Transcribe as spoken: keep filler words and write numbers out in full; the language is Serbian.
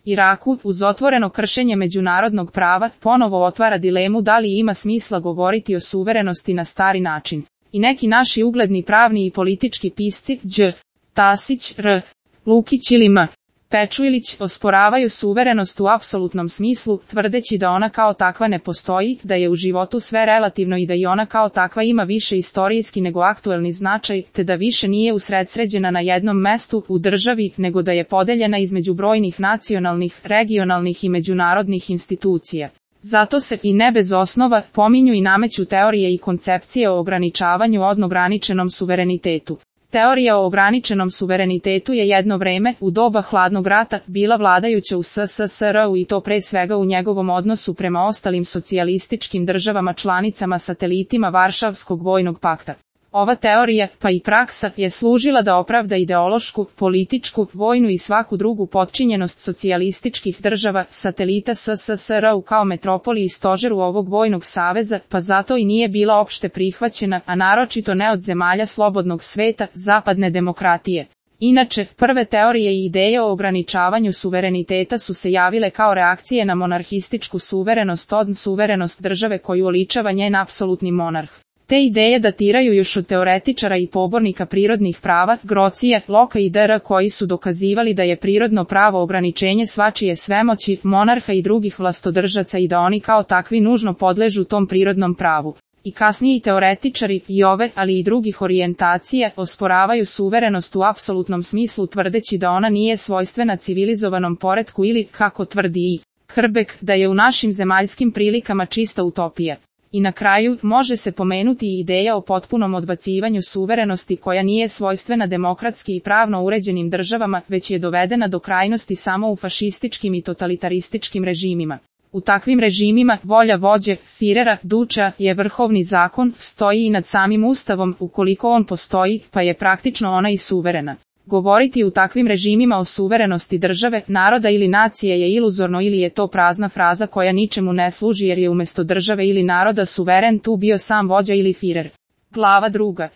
Iraku, uz otvoreno kršenje međunarodnog prava, ponovo otvara dilemu da li ima smisla govoriti o suverenosti na stari način. I neki naši ugledni pravni i politički pisci, Đ. Tasić, R. Lukić ili M. Pečuilić, osporavaju suverenost u apsolutnom smislu, tvrdeći da ona kao takva ne postoji, da je u životu sve relativno i da i ona kao takva ima više istorijski nego aktuelni značaj, te da više nije usredsređena na jednom mestu u državi, nego da je podeljena između brojnih nacionalnih, regionalnih i međunarodnih institucija. Zato se, i ne bez osnova, pominju i nameću teorije i koncepcije o ograničavanju od ograničenom suverenitetu. Teorija o ograničenom suverenitetu je jedno vreme, u doba hladnog rata, bila vladajuća u S S S R-u i to pre svega u njegovom odnosu prema ostalim socijalističkim državama članicama satelitima Varšavskog vojnog pakta. Ova teorija, pa i praksa, je služila da opravda ideološku, političku, vojnu i svaku drugu potčinjenost socijalističkih država, satelita S S S R-u kao metropoli i stožeru ovog vojnog saveza, pa zato i nije bila opšte prihvaćena, a naročito ne od zemalja slobodnog sveta, zapadne demokratije. Inače, prve teorije i ideje o ograničavanju suvereniteta su se javile kao reakcije na monarhističku suverenost od suverenost države koju oličava njen apsolutni monarh. Te ideje datiraju još od teoretičara i pobornika prirodnih prava, Grocija, Loka i dr. koji su dokazivali da je prirodno pravo ograničenje svačije svemoći, monarha i drugih vlastodržaca i da oni kao takvi nužno podležu tom prirodnom pravu. I kasniji teoretičari, i ove, ali i drugih orijentacija, osporavaju suverenost u apsolutnom smislu tvrdeći da ona nije svojstvena civilizovanom poretku ili, kako tvrdi i Hrbek, da je u našim zemaljskim prilikama čista utopija. I na kraju, može se pomenuti i ideja o potpunom odbacivanju suverenosti koja nije svojstvena demokratski i pravno uređenim državama, već je dovedena do krajnosti samo u fašističkim i totalitarističkim režimima. U takvim režimima, volja vođe, Firera, Duča, je vrhovni zakon, stoji i nad samim ustavom, ukoliko on postoji, pa je praktično ona i suverena. Govoriti u takvim režimima o suverenosti države, naroda ili nacije je iluzorno ili je to prazna fraza koja ničemu ne služi jer je umjesto države ili naroda suveren tu bio sam vođa ili Firer. Glava druga.